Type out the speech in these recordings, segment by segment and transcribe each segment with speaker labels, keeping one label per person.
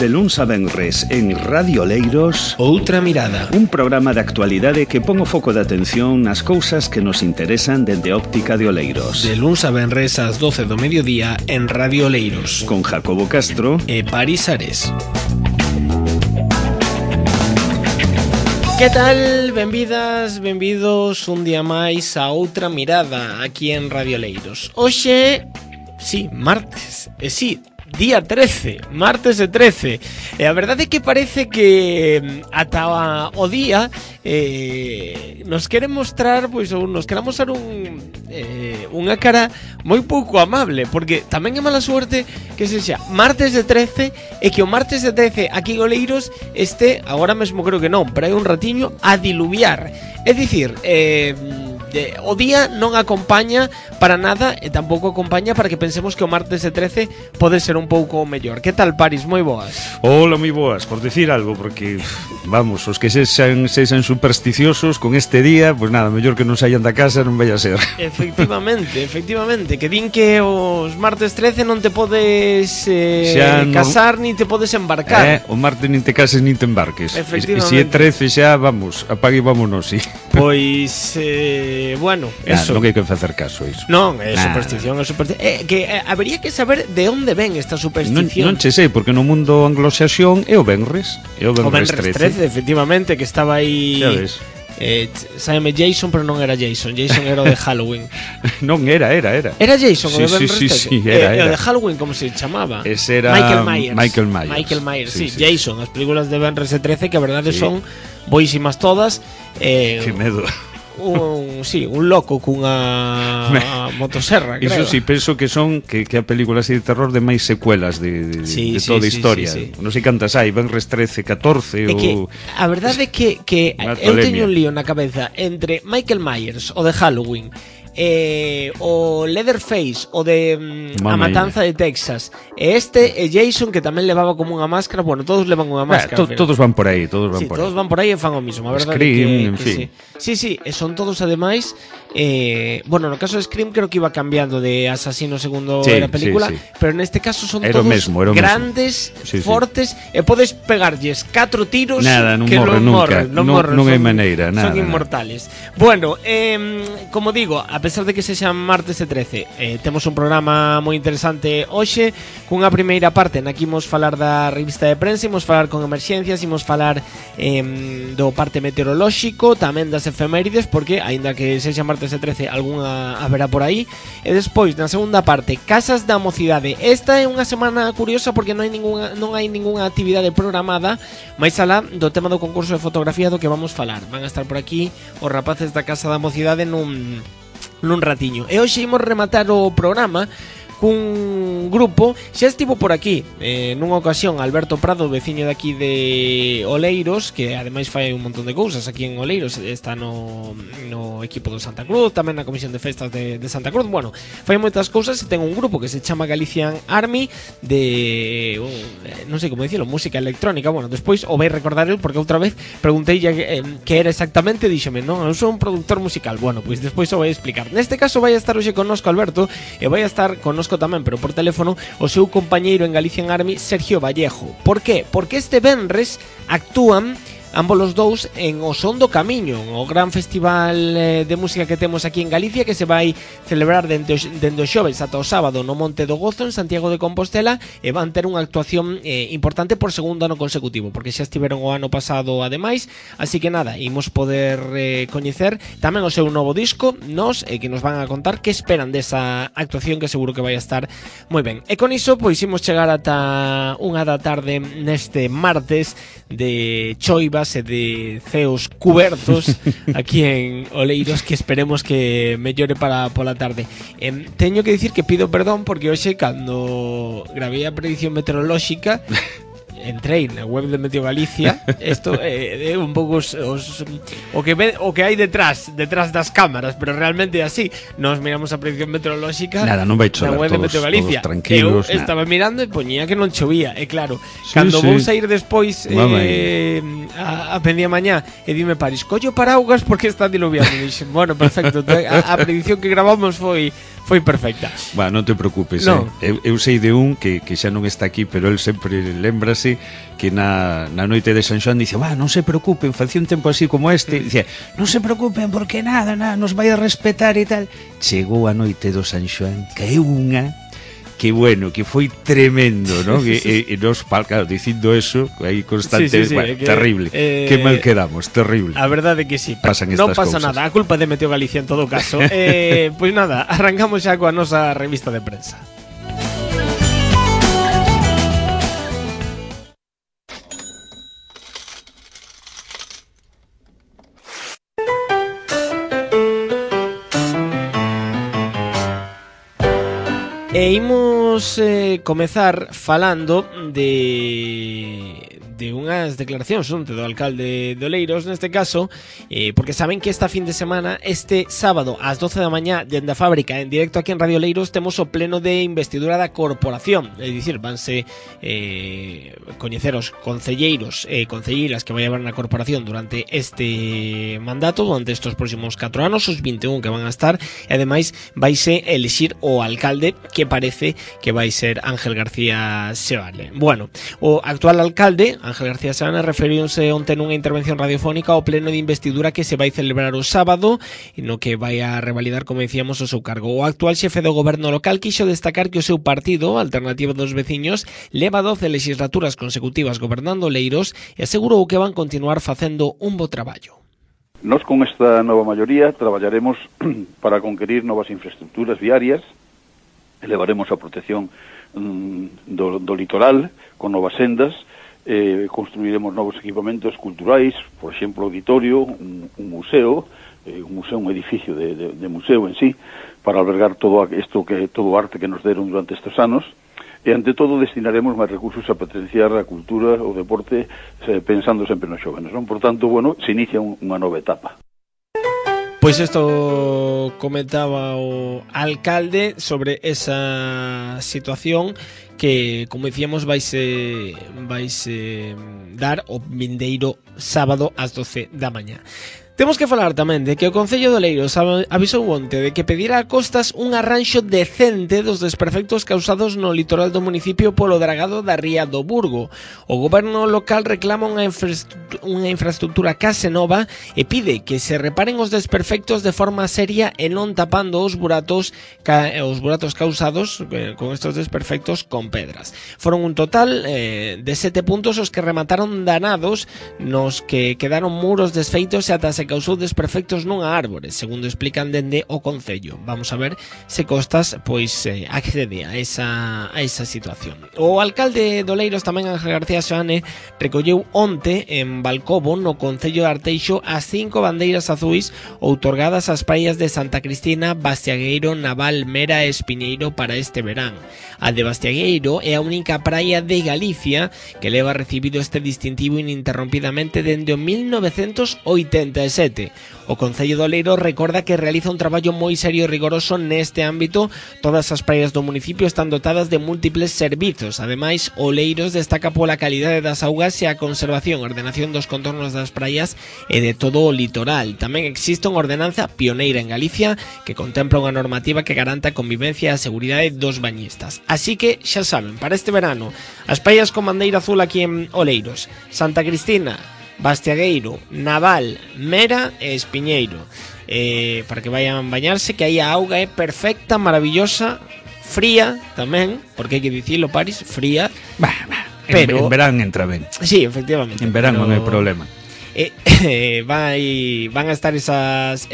Speaker 1: De luns a venres en Radio Oleiros,
Speaker 2: Outra Mirada,
Speaker 1: un programa de actualidade que pon o foco de atención nas cousas que nos interesan dende óptica de Oleiros.
Speaker 2: de luns a venres ás 12 do mediodía en Radio Oleiros,
Speaker 1: Con Jacobo Castro
Speaker 2: e Paris Ares. Que tal? Benvidas, benvidos un día máis a Outra Mirada aquí en Radio Oleiros. Hoxe, sí, martes, día 13, martes de 13. E a verdade é que parece que ata o día nos quere mostrar, pois, ou nos quere mostrar unha cara moi pouco amable, porque tamén é mala suerte que sexa martes de 13 e que o martes de 13 aquí en Oleiros este, agora mesmo creo que non, pero hai un ratiño a diluviar. É dicir, o día non acompaña para nada e tampouco acompaña para que pensemos que o martes de 13 pode ser un pouco mellor. Que tal, Paris? Moi boas.
Speaker 1: Hola, moi boas, por decir algo, porque, vamos, os que sexan supersticiosos con este día, pues nada, mellor que non saian da casa, non vai a ser. Efectivamente,
Speaker 2: que din que os martes 13 non te podes casar ni te podes embarcar.
Speaker 1: O martes nin te cases nin te embarques.
Speaker 2: Efectivamente.
Speaker 1: E se é 13 xa, vamos, apague e vámonos, sí.
Speaker 2: Pois, bueno, eso.
Speaker 1: Non hai que facer caso a iso.
Speaker 2: Non, é superstición, é superstición. Habería que saber de onde ven esta superstición.
Speaker 1: Non che sei, porque no mundo anglosaxón é o venres. É o venres 13,
Speaker 2: efectivamente, que estaba aí.
Speaker 1: Xa ves.
Speaker 2: Sábeme Jason, pero non era Jason era o de Halloween.
Speaker 1: Non, era.
Speaker 2: Era Jason, o de Venres 13?
Speaker 1: Sí, era.
Speaker 2: O de Halloween, como se chamaba?
Speaker 1: Ese era
Speaker 2: Michael Myers, sí. Jason, as películas de Venres 13, que a verdade son boísimas todas.
Speaker 1: Que medo.
Speaker 2: Un loco cunha motosserra, creo.
Speaker 1: Iso sí, penso que son que a película así de terror de máis secuelas de toda a historia. Non sei cantas hai, Venres 13, 14 ou...
Speaker 2: que a verdade é que eu teño un lío na cabeza entre Michael Myers, o de Halloween, o Leatherface, o de A Matanza de Texas, e Jason, que tamén levaba como unha máscara. Bueno, todos levan unha máscara,
Speaker 1: todos van por aí,
Speaker 2: todos van por aí e fan o mismo. A verdade
Speaker 1: Scream,
Speaker 2: en fin. Sí, e son todos ademais bueno, no caso de Scream creo que iba cambiando de asasino segundo a película, pero neste caso son todos grandes, fortes, e podes pegarlles 4 tiros que non hai maneira, son inmortales. Bueno, como digo, a pesar de que sexan martes de 13, temos un programa moi interesante hoxe, cunha primeira parte na que imos falar da revista de prensa, imos falar con emerxencias, imos falar do parte meteorolóxico, tamén das efemérides, porque aínda que sexa martes de 13 algunha haberá por aí. E despois, na segunda parte, Casas da Mocidade. Esta é unha semana curiosa porque non hai ningunha actividade programada máis alá do tema do concurso de fotografía do que vamos falar. Van a estar por aquí os rapaces da Casa da Mocidade nun ratiño. E hoxe imos rematar o programa cun grupo, xa estivo por aquí nunha ocasión Alberto Prado, veciño de aquí de Oleiros, que ademais fai un montón de cousas aquí en Oleiros, está no equipo do Santa Cruz, tamén na comisión de festas de Santa Cruz. Bueno, fai moitas cousas e ten un grupo que se chama Galician Army de non sei como dicilo, música electrónica. Bueno, despois o vai recordar el, porque outra vez preguntei que era exactamente, díxome, non, eu sou un productor musical. Bueno, pois despois o vai explicar. Neste caso vai estar hoxe connosco Alberto, e vai estar connosco tamén, pero por teléfono, o seu compañeiro en Galician Army, Sergio Vallejo. Por qué? Porque este venres actúan ambos os dous en O Son do Camiño, o gran festival de música que temos aquí en Galicia, que se vai celebrar dende o xoves ata o sábado no Monte do Gozo, en Santiago de Compostela, e van ter unha actuación importante por segundo ano consecutivo, porque xa estiveron o ano pasado ademais. Así que nada, imos poder coñecer tamén o seu novo disco, que nos van a contar que esperan desa actuación, que seguro que vai a estar moi ben. E con iso, pois imos chegar ata 1 da tarde neste martes de choivas e de ceos cubertos aquí en Oleiros, que esperemos que mellore para pola tarde. Teño que dicir que pido perdón porque hoxe, cando gravei a predicción meteorolóxica, entrei na web de Meteo Galicia. Isto é un pouco o que hai detrás das cámaras, pero realmente é así. Nos miramos a predicción meteorolóxica
Speaker 1: na web
Speaker 2: de Meteo Galicia.
Speaker 1: Eu
Speaker 2: estaba mirando e poñía que non chovía. E claro, cando vou sair despois a pendía mañá, e dime Paris, collo paraugas porque está diluviando. E dixen, bueno, perfecto. A predicción que gravamos foi Foi perfecta.
Speaker 1: Non te preocupes, no. Eu sei de un que xa non está aquí, pero el sempre lembrase que na noite de San Xoán dice, non se preocupen, facía un tempo así como este, dice, non se preocupen porque nada, nos vai a respetar e tal. Chegou a noite do San Xoán, caeu unha que bueno, que foi tremendo, ¿no? E nos, claro, dicindo eso aí constante, terrible, que mal quedamos, terrible.
Speaker 2: A verdade que sí, non pasa nada, a culpa de Meteo Galicia en todo caso. Pois nada, arrancamos xa coa nosa revista de prensa. E imos comezar falando de unhas declaracións do alcalde de Oleiros, neste caso, porque saben que esta fin de semana, este sábado ás 12 da mañá, dende a fábrica, en directo aquí en Radio Oleiros, temos o pleno de investidura da corporación, é dicir, vanse coñecer os concelleiros e concelleiras que vai haber na corporación durante este mandato, durante estes próximos 4 anos, os 21 que van a estar, e ademais vaise elixir o alcalde, que parece que vai ser Ángel García Seoane. Bueno, o actual alcalde, Ángel García Seoane, referiuse onte nunha intervención radiofónica ao pleno de investidura que se vai celebrar o sábado, no que vai a revalidar, como decíamos, o seu cargo. O actual xefe do goberno local quixo destacar que o seu partido, Alternativa dos Veciños, leva 12 legislaturas consecutivas gobernando Oleiros e asegurou que van continuar facendo un bo traballo.
Speaker 3: Nos con esta nova maioría traballaremos para conquerir novas infraestructuras viarias, elevaremos a protección do litoral con novas sendas, construiremos novos equipamentos culturais, por exemplo, auditorio, un museo, un edificio de museo en sí, para albergar todo o arte que nos deron durante estes anos, e ante todo destinaremos máis recursos a potenciar a cultura, o deporte, pensando sempre nos xóvenes, non? Por tanto, se inicia unha nova etapa.
Speaker 2: Pois isto comentaba o alcalde sobre esa situación que, como dicíamos, vaise dar o vindeiro sábado ás 12 da mañá. Temos que falar tamén de que o Concello de Oleiros avisou onte de que pedirá a Costas un arranxo decente dos desperfectos causados no litoral do municipio polo dragado da ría do Burgo. O goberno local reclama unha infraestructura case nova e pide que se reparen os desperfectos de forma seria e non tapando os buratos causados con estos desperfectos con pedras. Foron un total de 7 puntos os que remataron danados, nos que quedaron muros desfeitos e ata se causou desperfectos nunha árbore, segundo explican dende o Concello. Vamos a ver se Costas accede a esa situación. O alcalde de Oleiros, tamén Ángel García Seoane, recolleu onte en Balcobo, no Concello de Arteixo, as 5 bandeiras azuis outorgadas ás praias de Santa Cristina, Bastiagueiro, Naval, Mera e Espiñeiro para este verán. A de Bastiagueiro é a única praia de Galicia que leva recibido este distintivo ininterrompidamente dende o 1987. O Concello de Oleiros recorda que realiza un traballo moi serio e rigoroso neste ámbito. Todas as praias do municipio están dotadas de múltiples servizos. Ademais, Oleiros destaca pola calidade das augas e a conservación e ordenación dos contornos das praias e de todo o litoral. Tamén existe unha ordenanza pioneira en Galicia que contempla unha normativa que garanta a convivencia e a seguridade dos bañistas. Así que, xa saben, para este verano, as praias con bandeira azul aquí en Oleiros, Santa Cristina, Bastiagueiro, Naval, Mera e Espiñeiro, para que vayan bañarse, que aí a auga é perfecta, maravillosa, fría tamén, porque hai que dicilo, Paris, fría,
Speaker 1: pero en verán entra ben.
Speaker 2: Sí, efectivamente.
Speaker 1: En verán non hai problema.
Speaker 2: Van a estar esas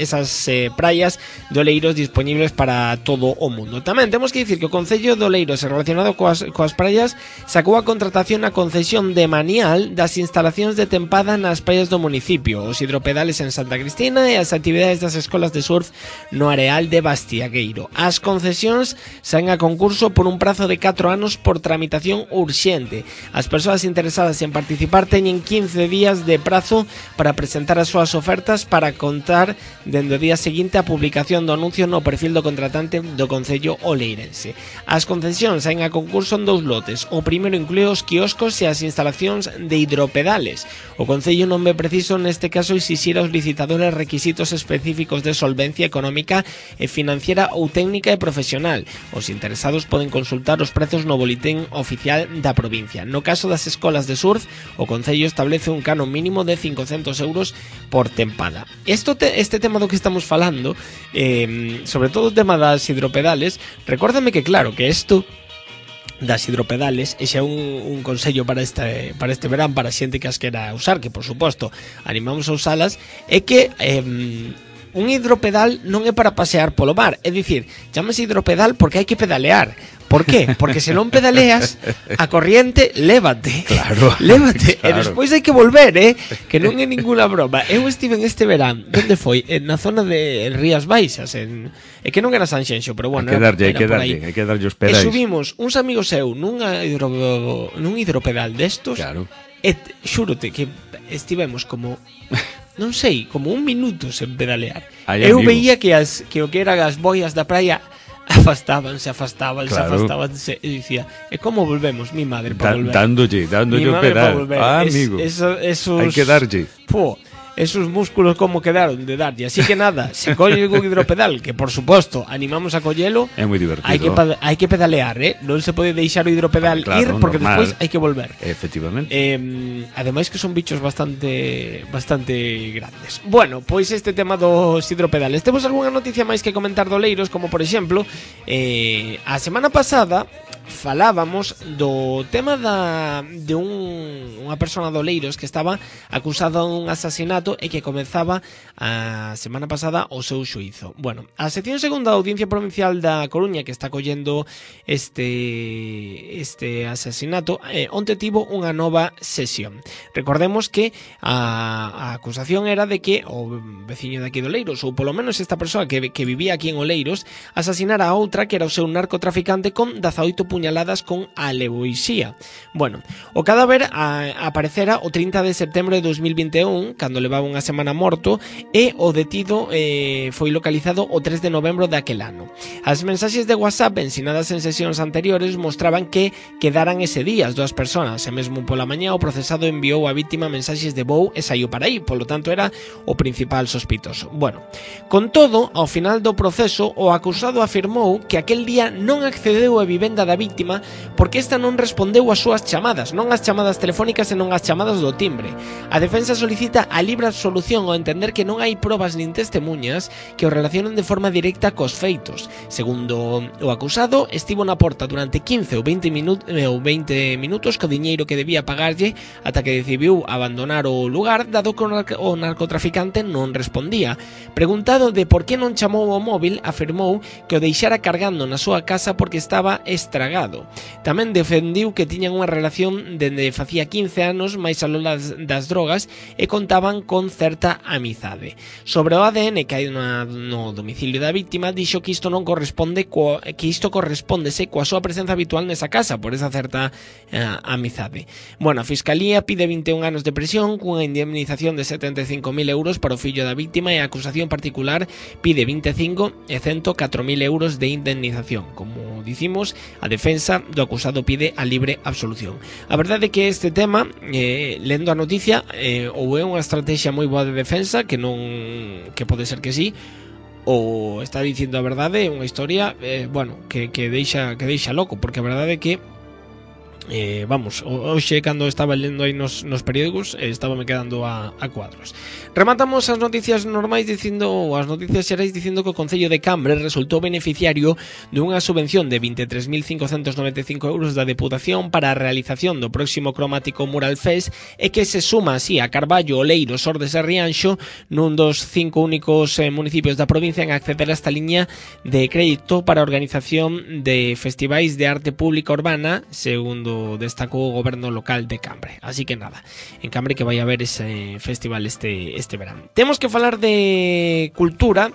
Speaker 2: praias de Oleiros disponibles para todo o mundo. Tamén temos que dicir que o Concello de Oleiros, relacionado coas praias, sacou a contratación a concesión de manial das instalacións de tempada nas praias do municipio, os hidropedales en Santa Cristina e as actividades das escolas de surf no areal de Bastiagueiro. As concesións saen a concurso por un prazo de 4 anos por tramitación urxente. As persoas interesadas en participar teñen 15 días de prazo para presentar as súas ofertas para contar dende o día seguinte a publicación do anuncio no perfil do contratante do Concello Oleirense. As concesións saen a concurso en 2 lotes. O primeiro inclúe os quioscos e as instalacións de hidropedales. O Concello non ve preciso neste caso exixir aos licitadores requisitos específicos de solvencia económica e financiera ou técnica e profesional. Os interesados poden consultar os prezos no boletín oficial da provincia. No caso das escolas de surf, o Concello establece un canon mínimo de 500 euros por tempada. Este tema do que estamos falando, sobre todo o tema das hidropedales, recórdame que claro, que isto das hidropedales e xa un consello para este verán para a xente que as quera usar, que por suposto animamos a usalas, é que un hidropedal non é para pasear polo mar, é dicir, chámase hidropedal porque hai que pedalear. Por qué? Porque se non pedaleas, a corriente lévate.
Speaker 1: Claro.
Speaker 2: Lévate. Claro. E despois hai que volver, que non é ninguna broma. Eu estive en este verán, onde foi? Na zona de Rías Baixas, é que non era Sanxenxo, pero bueno,
Speaker 1: hai que darlle os pedais.
Speaker 2: E subimos uns amigos eu nun hidropedal destos.
Speaker 1: Claro.
Speaker 2: E xúrote que estivemos como non sei, como un minuto sen pedalear. Eu veía que o que eran as boias da praia afastábanse e dicía, e como volvemos, mi madre para volver?
Speaker 1: Dándolle o pedal. Amigo, hai que darlle.
Speaker 2: Esos músculos como quedaron de darlle. Así que nada, se colle un hidropedal, que por suposto animamos a collelo,
Speaker 1: é moi divertido.
Speaker 2: Hai que pedalear, non se pode deixar o hidropedal ir, porque despois hai que volver.
Speaker 1: Efectivamente.
Speaker 2: Ademais que son bichos bastante grandes. Bueno, pois este tema dos hidropedales. Temos algunha noticia máis que comentar do Oleiros, como por exemplo, a semana pasada falábamos do tema de unha persona do Oleiros que estaba acusada dun asasinato e que comezaba a semana pasada o seu xuízo. Bueno, a sección segunda da Audiencia Provincial da Coruña, que está collendo este asasinato, onte tivo unha nova sesión. Recordemos que a acusación era de que o veciño de aquí de Oleiros, ou polo menos esta persoa que vivía aquí en Oleiros, asasinara a outra que era o seu narcotraficante con 18 puñaladas con alevoixía. Bueno, o cadáver aparecera o 30 de setembro de 2021, cando levaba unha semana morto, e o detido foi localizado o 3 de novembro daquel ano. As mensaxes de WhatsApp ensinadas en sesións anteriores mostraban que quedaran ese día as dúas persoas, e mesmo pola mañá o procesado enviou á vítima mensaxes de vou e saiu para aí, polo tanto era o principal sospitoso. Bueno, con todo, ao final do proceso, o acusado afirmou que aquel día non accedeu á vivenda da vítima porque esta non respondeu ás súas chamadas, non as chamadas telefónicas e non as chamadas do timbre. A defensa solicita a libre absolución ao entender que non hai probas nin testemunhas que o relacionen de forma directa cos feitos. Segundo o acusado, estivo na porta durante 15 ou 20 minutos co diñeiro que debía pagarlle ata que decidiu abandonar o lugar, dado que o narcotraficante non respondía. Preguntado de por que non chamou o móvil, afirmou que o deixara cargando na súa casa porque estaba estragado. Tamén defendiu que tiñan unha relación dende facía 15 anos máis aló das drogas e contaban con certa amizade. Sobre o ADN que hai no domicilio da vítima, dixo que isto non corresponde correspóndese coa súa presenza habitual nesa casa por esa certa amizade. Bueno, a Fiscalía pide 21 anos de prisión cunha indemnización de 75.000 euros para o fillo da vítima e a acusación particular pide 25 e 104.000 euros de indemnización. Como dicimos, a defensa do acusado pide a libre absolución. A verdade é que este tema, lendo a noticia, ou é unha estrategia moi boa de defensa, que pode ser que sí, ou está dicindo a verdade, unha historia que deixa loco, porque a verdade é que hoxe cando estaba lendo aí nos periódicos estábame quedando a cuadros. Rematamos as noticias normais as noticias xerais dicindo que o Concello de Cambre resultou beneficiario dunha subvención de 23.595 euros da Deputación para a realización do próximo cromático Mural Fest e que se suma así a Carballo, Oleiros, Ordes e Rianxo nun dos 5 únicos municipios da provincia en acceder a esta liña de crédito para a organización de festivais de arte pública urbana, segundo destacou o goberno local de Cambre. Así que nada, en Cambre que vai haber ese festival este verán. Temos que falar de cultura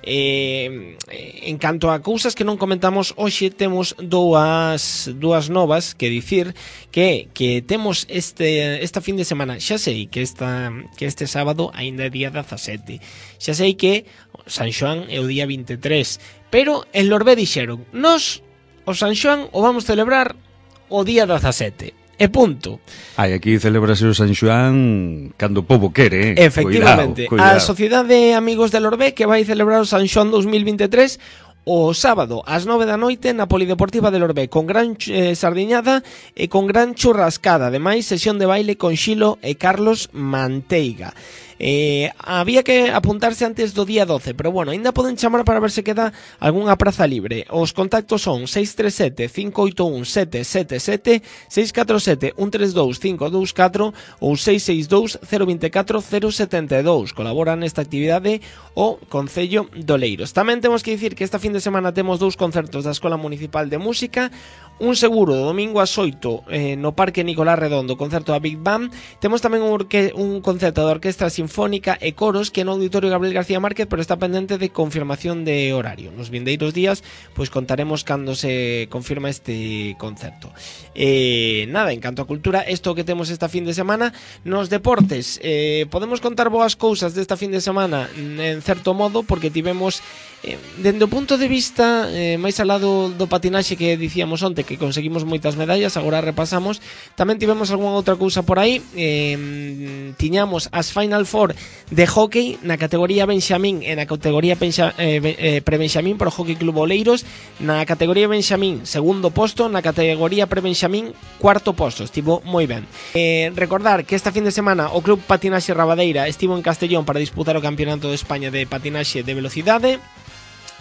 Speaker 2: En canto a cousas que non comentamos hoxe, temos dúas novas que dicir que temos esta fin de semana. Xa sei que este sábado aínda é día 17, xa sei que San Xoán é o día 23, pero en Lorbé dixeron: nos o San Xoán o vamos celebrar o día 17 e punto.
Speaker 1: Aquí celebrase o San Xoán cando o pobo quere,
Speaker 2: Efectivamente.
Speaker 1: Cuidado.
Speaker 2: A Sociedade de Amigos de Lorbé que vai celebrar o San Xoán 2023 o sábado ás 9 da noite na Polideportiva de Lorbé, con gran sardiñada e con gran churrascada. Ademais, sesión de baile con Xilo e Carlos Manteiga. Había que apuntarse antes do día 12, pero bueno, ainda poden chamar para ver se queda algunha praza libre. Os contactos son 637-581-777, 647-132-524 ou 662-024-072. Colaboran nesta actividade o Concello de Oleiros. Tamén temos que dicir que esta fin de semana temos 2 concertos da Escola Municipal de Música, un seguro do domingo ás 8 no Parque Nicolás Redondo, concerto da Big Band. Temos tamén un concerto da Orquestra Sinfónica e Coros que no Auditorio Gabriel García Márquez, pero está pendente de confirmación de horario. Nos vindeiros días pois contaremos cando se confirma este concerto. Nada, en canto a cultura, isto que temos esta fin de semana. Nos deportes, podemos contar boas cousas desta fin de semana en certo modo, porque tivemos dende o punto de vista máis alá do patinaxe que dicíamos onte, que conseguimos moitas medallas, agora repasamos. Tamén tivemos algunha outra cousa por aí. Tiñamos as Final Four de hockey na categoría Benxamín e na categoría pre-Benxamín por Hockey Club Oleiros. Na categoría Benxamín, segundo posto; na categoría pre-Benxamín, cuarto posto. Estivo moi ben. Recordar que esta fin de semana o Club Patinaxe Rabadeira estivo en Castellón para disputar o Campeonato de España de Patinaxe de Velocidade.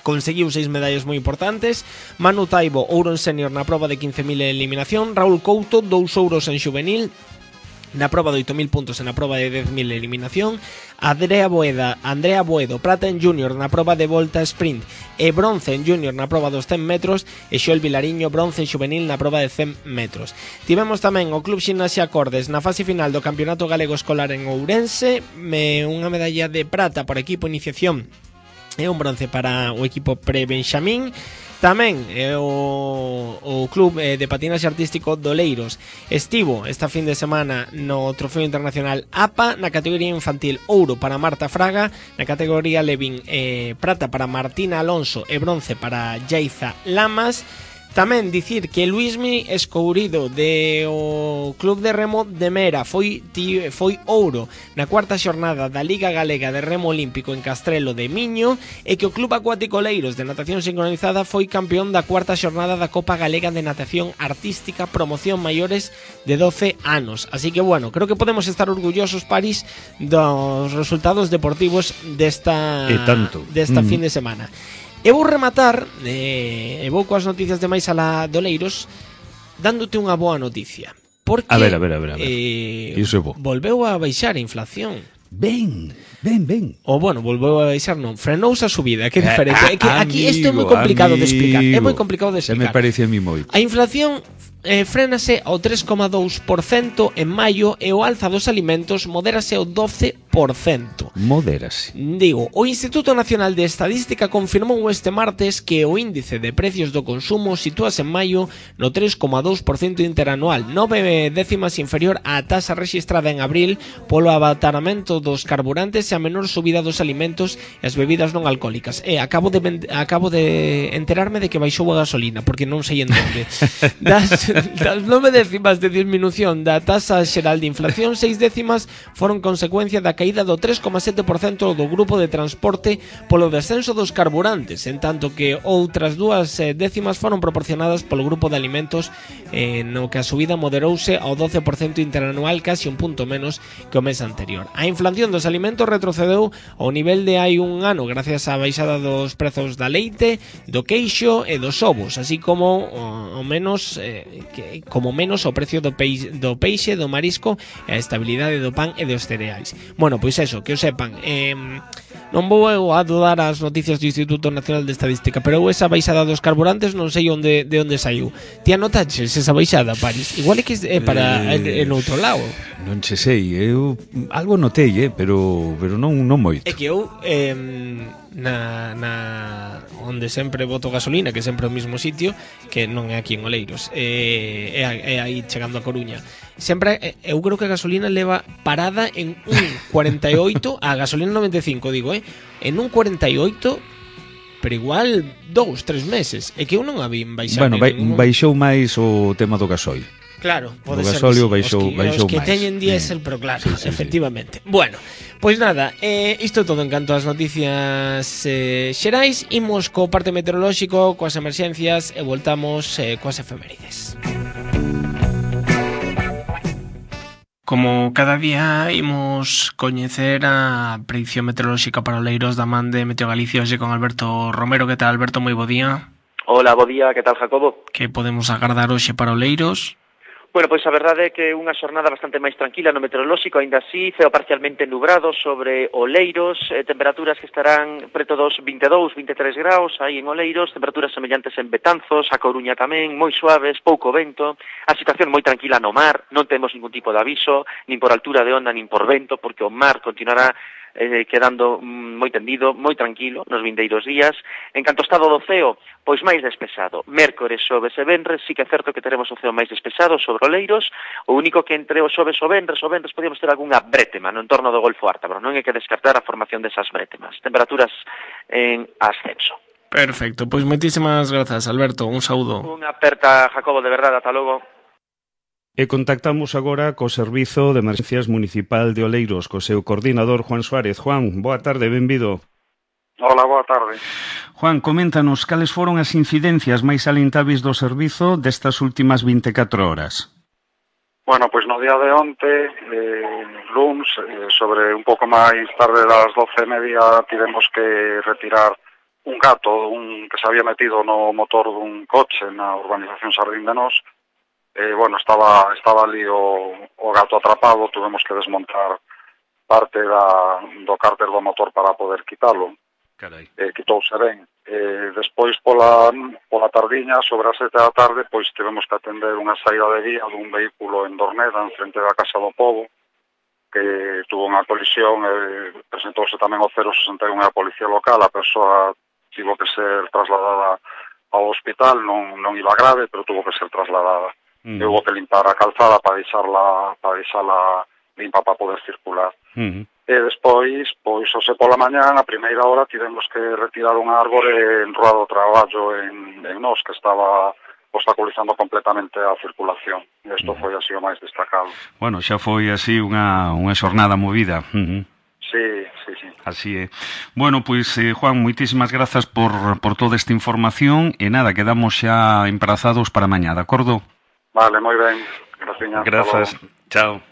Speaker 2: Conseguiu 6 medallas moi importantes. Manu Taibo, ouro en senior na proba de 15.000 en eliminación. Raúl Couto, 2 ouros en xuvenil na proba de 8.000 puntos e na proba de 10.000 en eliminación. Andrea Boedo, prata en junior na proba de volta sprint e bronce en junior na proba dos 100 metros, e Xoel Vilariño, bronce en xuvenil na proba de 100 metros. Tivemos tamén o Club Ximnasia Acordes na fase final do Campeonato Galego Escolar en Ourense, unha medalla de prata por equipo iniciación e un bronce para o equipo pre-Benxamín. Tamén o Club de Patinaxe Artístico de Oleiros estivo esta fin de semana no Trofeo Internacional APA na categoría infantil, ouro para Marta Fraga; na categoría Levin, prata para Martina Alonso e bronce para Yaiza Lamas. Tamén dicir que Luismi Escourido de o Club de Remo de Mera foi ouro na cuarta xornada da Liga Galega de Remo Olímpico en Castrelo de Miño, e que o Club Acuático Oleiros de Natación Sincronizada foi campeón da cuarta xornada da Copa Galega de Natación Artística Promoción Maiores de 12 anos. Así que bueno, creo que podemos estar orgullosos, París, dos resultados deportivos desta fin de semana. Eu vou rematar, vou coas noticias de máis alá de Oleiros, dándote unha boa noticia. Porque
Speaker 1: a ver. Iso é bo.
Speaker 2: Volveu a baixar a inflación.
Speaker 1: Ben.
Speaker 2: Bueno, volveu a baixar, non, frenouse a subida, que diferente. Aquí isto é moi complicado de explicar. É moi complicado de explicar.
Speaker 1: Se me parece a mí moito.
Speaker 2: A inflación frénase ao 3,2% en maio e o alza dos alimentos modérase ao 12%.
Speaker 1: Modérase.
Speaker 2: Digo, o Instituto Nacional de Estadística confirmou este martes que o índice de precios do consumo sitúase en maio no 3,2% interanual, 9 décimas inferior á taxa rexistrada en abril polo abataramento dos carburantes e a menor subida dos alimentos e as bebidas non alcohólicas. Acabo de enterarme de que baixou a gasolina, porque non sei en onde. Das 9 décimas de disminución da taxa xeral de inflación, 6 décimas foron consecuencia da caída do 3,7% do grupo de transporte polo descenso dos carburantes, en tanto que outras 2 décimas foron proporcionadas polo grupo de alimentos, no que a subida moderouse ao 12% interanual, casi un punto menos que o mes anterior. A inflación dos alimentos retrocedeu ao nivel de hai un ano gracias á baixada dos prezos da leite, do queixo e dos ovos, así como menos o precio do peixe, do marisco e a estabilidade do pan e dos cereais. Bueno, pois eso, que o sepan. Non vou a dudar as noticias do Instituto Nacional de Estadística, pero esa baixada dos carburantes non sei de onde saiu. Ti anotaches esa baixada, París? Igual é que é para en outro lado.
Speaker 1: Non sei, eu algo notei, pero non moito.
Speaker 2: É que eu onde sempre boto gasolina, que sempre é o mesmo sitio, que non é aquí en Oleiros, é aí chegando a Coruña. Sempre, eu creo que a gasolina leva parada en un 48, a gasolina 95, digo, en un 48, pero igual 2-3 meses. É que eu non a vi baixar.
Speaker 1: Bueno, baixou máis o tema do gasoil.
Speaker 2: Claro, pode ser.
Speaker 1: O gasóleo baixou máis.
Speaker 2: Os que teñen diésel, pero claro, sí, efectivamente. Bueno, pois nada, isto é todo en canto ás noticias xerais. Imos co parte meteorolóxico, coas emerxencias e voltamos coas efemérides. Como cada día imos coñecer a predicción meteorolóxica para Oleiros da man de Meteo Galicia hoxe con Alberto Romero. Que tal, Alberto? Moi bo día.
Speaker 4: Hola, bo día, que tal, Jacobo?
Speaker 2: Que podemos agardar hoxe para Oleiros?
Speaker 4: Bueno, pois a verdade é que unha xornada bastante máis tranquila no meteorolóxico, aínda así, ceo parcialmente nubrado sobre Oleiros, temperaturas que estarán preto dos 22-23 graus aí en Oleiros, temperaturas semellantes en Betanzos, a Coruña tamén, moi suaves, pouco vento, a situación moi tranquila no mar, non temos ningún tipo de aviso, nin por altura de onda, nin por vento, porque o mar continuará quedando moi tendido, moi tranquilo nos vindeiros días. En canto ao estado do ceo, pois máis despexado. Mércores, xoves e venres, sí que é certo que teremos o ceo máis despexado sobre Oleiros, o único que entre os xoves o venres podíamos ter algunha brétema no entorno do Golfo Ártabro, non hai que descartar a formación desas brétemas. Temperaturas en ascenso.
Speaker 2: Perfecto, pois moitísimas grazas, Alberto, un saúdo.
Speaker 4: Unha aperta, Jacobo, de verdade, ata logo.
Speaker 1: E contactamos agora co Servizo de Emerxencias Municipal de Oleiros, co seu coordinador Juan Suárez. Juan, boa tarde, benvido.
Speaker 5: Hola, boa tarde.
Speaker 1: Juan, coméntanos cales foron as incidencias máis salientáveis do servizo destas últimas 24 horas.
Speaker 5: Bueno, pois no día de onte, luns, sobre un pouco máis tarde das 12:30, tivemos que retirar un gato que se había metido no motor dun coche na urbanización Sardín de Nós. Bueno, estaba ali o gato atrapado, tuvemos que desmontar parte do cárter do motor para poder quitalo.
Speaker 1: Carai.
Speaker 5: Quitouse ben. Despois pola tardiña, sobre as 7 da tarde, pois tivemos que atender unha saída de vía dun vehículo en Dorneda, en frente da Casa do Pobo, que tuvo unha colisión, presentouse tamén o 061 a policía local, a persoa tivo que ser trasladada ao hospital, non iba grave, pero tuvo que ser trasladada. Hubo que limpar a calzada para deixala limpa para poder circular. E despois, pois, hoxe pola mañán, a primeira hora, tivemos que retirar un árbore en rúa do traballo en Nós, que estaba obstaculizando completamente a circulación. Isto foi así o máis destacado.
Speaker 1: Bueno, xa foi así unha xornada movida.
Speaker 5: Sí.
Speaker 1: Así é. Bueno, pois, Juan, moitísimas grazas por toda esta información e nada, quedamos xa emprazados para mañá, de acordo?
Speaker 5: Vale, moi ben.
Speaker 1: Grazas. Chao.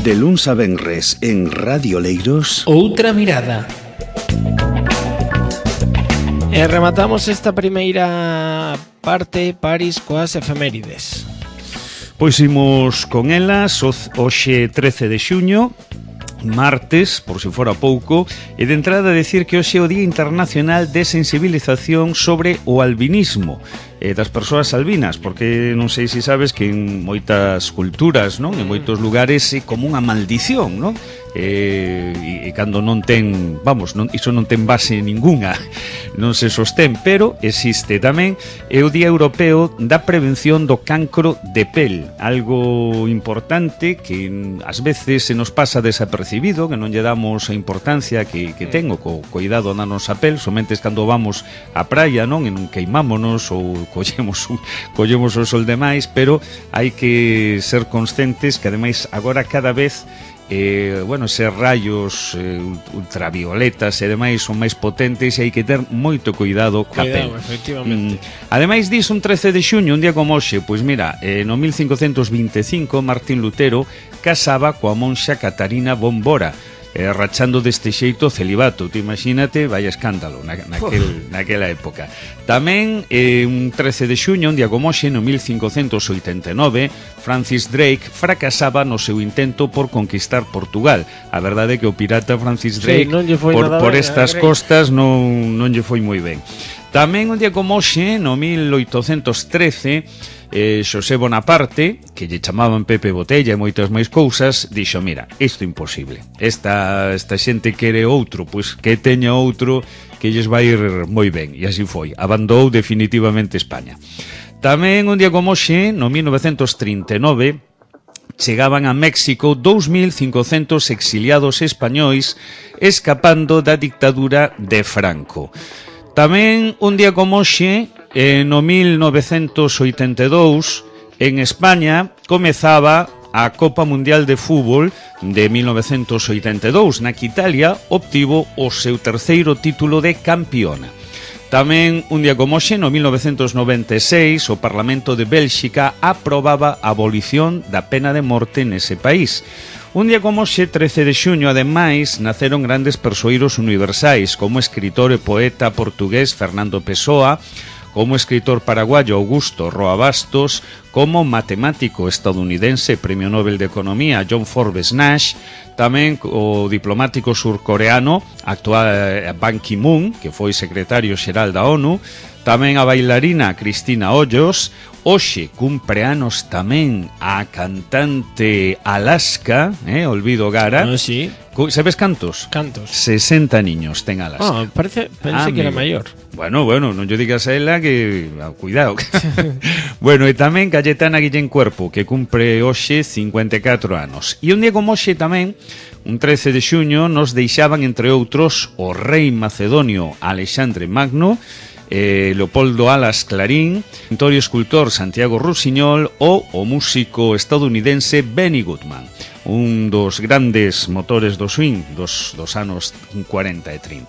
Speaker 6: De luns a venres en Radio Oleiros.
Speaker 2: Outra mirada. E rematamos esta primeira parte, París, coas efemérides.
Speaker 1: Pois imos con elas hoxe 13 de xuño, martes, por se fora pouco, e de entrada decir que hoxe é o Día Internacional de Sensibilización sobre o albinismo das persoas albinas, porque non sei se sabes que en moitas culturas, non, en moitos lugares é como unha maldición, non? E cando non ten, iso non ten base ningunha, non se sostén, pero existe tamén. É o Día Europeo da Prevención do Cancro de Pel, algo importante que ás veces se nos pasa desapercibido, que non lle damos a importancia que ten o cuidado na nosa pel, somente cando vamos á praia, non, e non queimámonos ou collemos o sol demais, pero hai que ser conscientes que ademais agora cada vez ser rayos ultravioletas e demais son máis potentes e hai que ter moito cuidado ca pel.
Speaker 2: Efectivamente.
Speaker 1: Ademais disso, un 13 de xuño, un día como hoxe, pois mira, no 1525 Martín Lutero casaba coa monxa Catarina Bombora, rachando deste xeito o celibato. Te imagínate, vaya escándalo naquela época. Tamén un 13 de xuño, un día como hoxe, no 1589, Francis Drake fracasaba no seu intento por conquistar Portugal. A verdade é que o pirata Francis Drake por estas costas non lle foi moi ben. Tamén un día como hoxe, no 1813, Xosé Bonaparte, que lle chamaban Pepe Botella e moitas máis cousas, dixo, mira, isto é imposible. Esta xente quere outro, pois que teña outro que lles vai ir moi ben. E así foi. Abandonou definitivamente España. Tamén un día como hoxe, no 1939, chegaban a México 2.500 exiliados españois escapando da dictadura de Franco. Tamén un día como hoxe, no 1982, en España comezaba a Copa Mundial de Fútbol de 1982, na que Italia obtivo o seu terceiro título de campeona. Tamén, un día como hoxe, no 1996, o Parlamento de Bélxica aprobaba a abolición da pena de morte nese país. Un día como hoxe, 13 de xuño, ademais, naceron grandes persoeiros universais, como o escritor e poeta portugués Fernando Pessoa, como escritor paraguayo Augusto Roa Bastos, como matemático estadounidense Premio Nobel de Economía John Forbes Nash, tamén o diplomático surcoreano actual Ban Ki-moon, que foi secretario xeral da ONU, tamén a bailarina Cristina Hoyos. Hoxe cumpre anos tamén a cantante Alaska, Olvido Gara.
Speaker 2: Sí.
Speaker 1: Sabes cantos?
Speaker 2: Cantos.
Speaker 1: 60 niños ten Alaska.
Speaker 2: Pensé que era maior.
Speaker 1: Bueno, non lle digas a ela que... Cuidado. Bueno, e tamén Cayetana Guillén Cuerpo, que cumpre hoxe 54 anos. E un día como hoxe tamén, un 13 de xuño, nos deixaban, entre outros, o rei macedonio Alexandre Magno, Leopoldo Alas Clarín, o pintor e escultor Santiago Rusiñol ou o músico estadounidense Benny Goodman, un dos grandes motores do swing dos anos 40 e 30.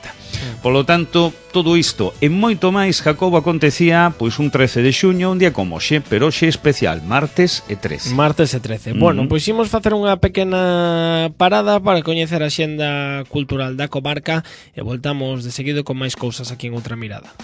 Speaker 1: Polo tanto, todo isto e moito máis, Jacobo, acontecía pois un 13 de xuño, un día como hoxe, pero hoxe especial, martes e 13.
Speaker 2: Martes e 13. Bueno, pois imos facer unha pequena parada para coñecer a xenda cultural da comarca e voltamos de seguido con máis cousas aquí en Outra Mirada.